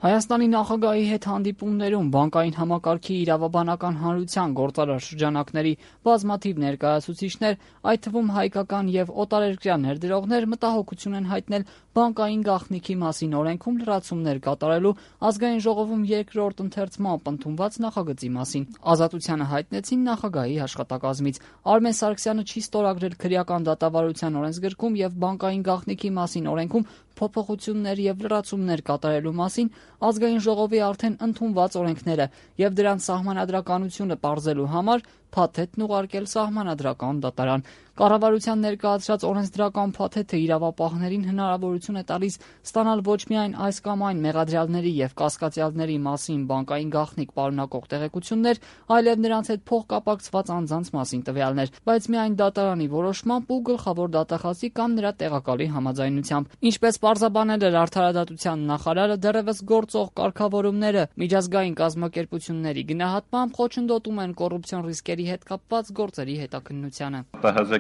Հայաստանի նախագահի հետ հանդիպումներում բանկային համակարգի իրավաբանական հանրության գործարար շրջանակների բազմաթիվ ներկայացուցիչներ, այդ թվում հայկական եւ օտարերկրյա ներդրողներ մտահոգություն են հայտնել բանկային գաղտնիքի մասին օրենքում լրացումներ կատարելու ազգային ժողովում երկրորդ ընթերցմամբ ընդունված նախագծի մասին։ Ազատությանը հայտնեցին նախագահի աշխատակազմից։ Արմեն Սարգսյանը չի ստորագրել քրեական դատավարության օրենսգրքում եւ բանկային գաղտնիքի մասին օրենքում փոփոխություններ եւ լրացումներ կատարելու մասին ազգային ժողովի արդեն ընդունված օրենքները եւ դրանց սահմանադրականությունը պարզելու համար փաթեթն ուղարկել սահմանադրական դատարան։ Կառավարության ներկայացրած օրենսդրական փաթեթը իրավապահներին հնարավորություն է տալիս ստանալ ոչ միայն այս կամ այն մեղադրյալների եւ կասկածյալների մասին բանկային գաղտնիք պարունակող տեղեկություններ, այլև նրանց հետ փոխկապակցված անձանց մասին տվյալներ, բայց միայն դատարանի որոշմամբ ու գլխավոր դատախազի կամ նրա տեղակալի համաձայնությամբ։ Ինչպես պարզաբանել էր Արդարադատության նախարարը, դեռևս գործող կարգավորումները միջազգային կազմակերպությունների գնահատմամբ խոչընդոտում են կոռուպցիոն ռիսկերի հետ կապված գործերի հետաքննությանը։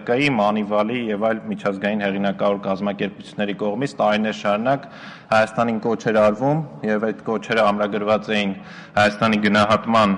ՀԶԿ-ի, Մանիվալի եւ այլ միջազգային հեղինակավոր կազմակերպությունների կողմից տարիներ շարունակ Հայաստանին կոչ էր արվում եւ այդ կոչերը ամրագրված էին Հայաստանի գնահատման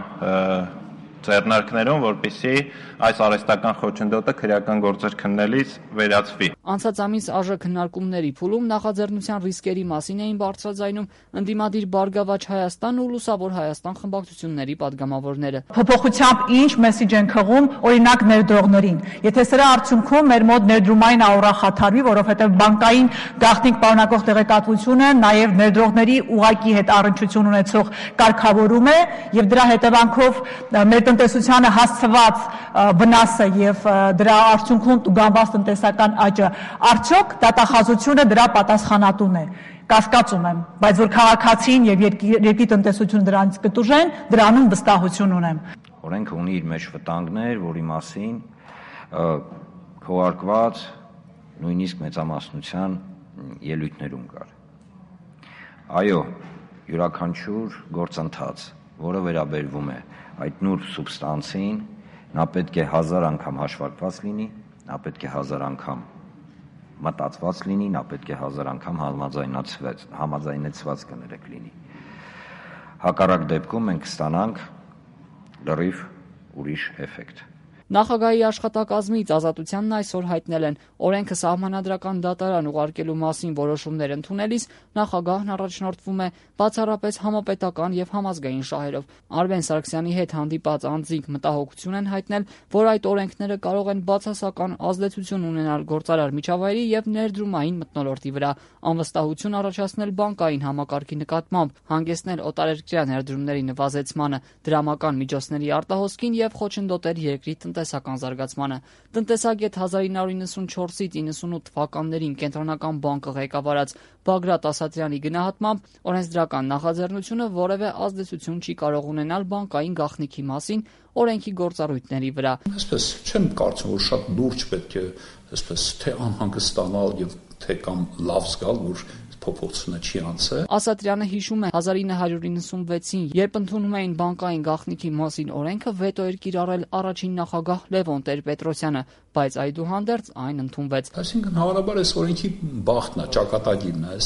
ձեռնարկներում, որպեսզի այս արհեստական խոչընդոտը քրեական գործեր քննելիս վերացվի։ Անցած ամիս ԱԺ քննարկումների փուլում նախաձեռնության ռիսկերի մասին էին բարձրաձայնում ընդդիմադիր Բարգավաճ Հայաստան ու Լուսավոր Հայաստան խմբակցությունների падգամավորները։ Փոփոխությամբ ինչ մեսիջ են քղում, օրինակ ներդրողներին։ Եթե սրա արդյունքում մեր մոտ ներդրումային աուրա խաթարվի, որովհետև բանկային գաղտնիք պարունակող տեղեկատվությունը նաև ներդրողների ուղղակի հետ առնչություն ունեցող կարգավորում է եւ դրա հետևանքով մեր տնտեսությանը հասցված վնասը եւ դրա արդյունքում տուգանված տնտեսական աճը, արդյոք դատախազությունը դրա պատասխանատուն է։ Կասկածում եմ, բայց որ քաղաքացին եւ երկրի տնտեսությունը դրանից կտուժեն, դրանում վստահություն ունեմ։ Օրենքը ունի իր մեջ վտանգներ, որի մասին քողարկված նույնիսկ մեծամասնության ելույթներում կար։ Այո, յուրաքանչյուր գործընթաց, որը վերաբերվում է այդ նուրբ սուբստանցին, նա պետք է 1000 անգամ հաշվարկված լինի, նա պետք է 1000 անգամ մտածված լինի, նա պետք է 1000 անգամ համաձայնեցված կներեք լինի։ Հակառակ դեպքում մենք կստանանք լրիվ ուրիշ էֆեկտ։ Նախագահի աշխատակազմից Ազատությանն այսօր հայտնել են օրենքը սահմանադրական դատարան ուղարկելու մասին որոշումներ ընդունելիս նախագահն առաջնորդվում է բացառապես համապետական եւ համազգային շահերով։ Արմեն Սարգսյանի հետ հանդիպած անձինք մտահոգություն են հայտնել, որ այդ օրենքները կարող են բացասական ազդեցություն ունենալ գործարար միջավայրի եւ ներդրումային մթնոլորտի վրա, անվստահություն առաջացնել բանկային համակարգի նկատմամբ, հանգեցնել օտարերկրյա ներդրումների նվազեցմանը, դրամական միջոցների արտահոսքին եւ խոչընդոտել երկրի տնտեսական զարգացմանը։ Տնտեսագետ 1994-ից 98 թվականներին Կենտրոնական բանկը ղեկավարած Բագրատ Ասատրյանի գնահատմամբ օրենսդրական նախաձեռնությունը որևէ ազդեցություն չի կարող ունենալ բանկային գաղտնիքի մասին օրենքի գործառույթների վրա։ Այսպես չեմ կարծում, որ շատ լուրջ պետք է այսպես թե անհանգստանալ եւ թե կամ լավ զգալ, որ փոփոխությունը չի անցել։ Ասատրյանը հիշում է 1996-ին, երբ ընդունում էին բանկային գաղտնիքի մասին օրենքը, վետո էր կիրառել առաջին նախագահ Լևոն Տեր-Պետրոսյանը, բայց այդուհանդերձ այն ընդունվեց։ Այսինքն հավանաբար այս օրենքի բախտն է, ճակատագիրն է,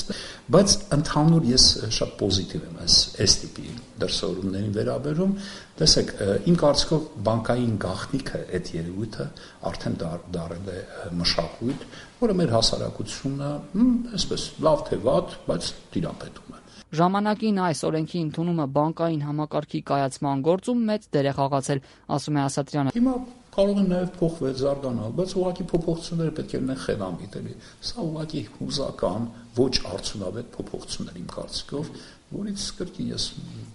բայց ընդհանուր ես շատ պոզիտիվ եմ այս տիպի դրսևորումներին վերաբերում։ Տեսեք, իմ կարծիքով բանկային գաղտնիքը այդ երևույթը արդեն դարել է մշակույթ, որը մեր հասարակությունը այսպես լավ թե վատ, բայց տիրապետում է։ Ժամանակին այս օրենքի ընդունումը բանկային համակարգի կայացման գործում մեծ դեր է խաղացել, ասում է Ասատրյանը։ Հիմա կարող են նաև փոխվել, զարգանալ, բայց ուղղակի փոփոխությունները պետք է լինեն խելամիտ, էլի։ Սա ուղղակի հուզական, ոչ արդյունավետ փոփոխություններ իմ կարծիքով, որից կրկին ես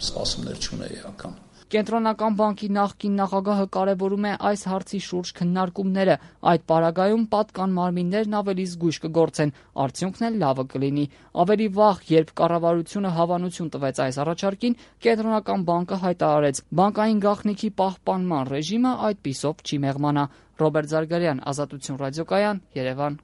սպասումներ չունեի ական։ Կենտրոնական բանկի նախկին նախագահը կարևորում է այս հարցի շուրջ քննարկումները։ Այդ պարագայում պատկան մարմիններն ավելի զգույշ կգործեն, արդյունքն էլ լավը կլինի։ Ավելի վաղ, երբ կառավարությունը հավանություն տվեց այս առաջարկին, Կենտրոնական բանկը հայտարարեց՝ բանկային գաղտնիքի պահպանման ռեժիմը այդպիսով չի մեղմանա։ Ռոբերտ Զարգարյան, Ազատություն ռադիոկայան, Երևան։